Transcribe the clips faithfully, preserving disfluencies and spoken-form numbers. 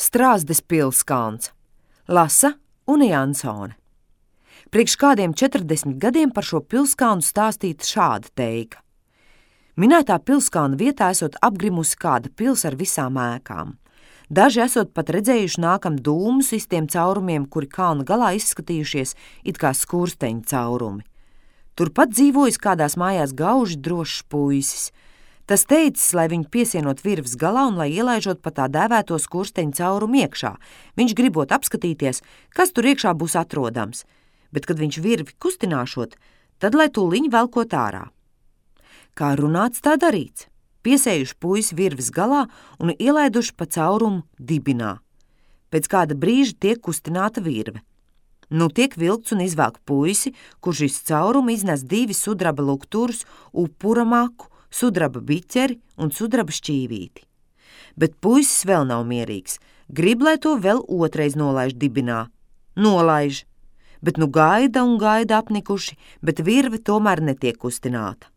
Strāzdes pilskalns. Lasa Unija Ansone. Priekš kādiem četrdesmit gadiem par šo pilskalnu stāstīta šāda teika. Minētā pilskalna vietā esot apgrimusi kāda pils ar visām ēkām. Daži esot pat redzējuši nākam dūmus iztiem caurumiem, kuri kalna galā izskatījušies it kā skursteņu caurumi. Turpat dzīvojis kādās mājās gauži drošs puisis. Tas teicis, lai viņu piesienot virves galā un lai ielaižot pa tā dēvēto skursteņu caurumu iekšā. Viņš gribot apskatīties, kas tur iekšā būs atrodams, bet kad viņš virvi kustināšot, tad lai tūliņ velkot ārā. Kā runāts, tā darīts. Piesējuši puisi virves galā un ielaiduši pa caurumu dibinā. Pēc kāda brīža tiek kustināta virve. Nu tiek vilkts un izvelk puisi, kurš iz caurumu iznes divi sudraba lukturus, upura maku, sudraba biķeri un sudraba šķīvīti. Bet puisis vēl nav mierīgs. Grib, lai to vēl otrais nolaiž dibinā. Nolaiž. Bet nu gaida un gaida apnikuši, bet virve tomēr netiek kustināta.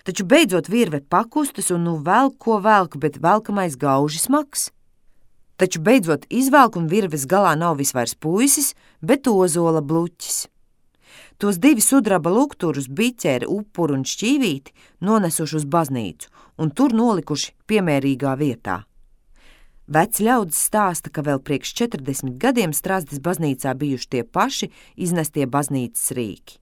Taču beidzot virve pakustas un nu velk, ko velk, bet velkamais gauži smags. Taču beidzot izvelk un virves galā nav visvairs puisis, bet ozola bluķis. Tos divi sudraba lukturus, biķeri, upuru un šķīvīti nonesuši uz baznīcu un tur nolikuši piemērīgā vietā. Veci ļaudis stāsta, ka vēl priekš četrdesmit gadiem Strāzdes baznīcā bijuši tie paši iznestie baznīcas rīki.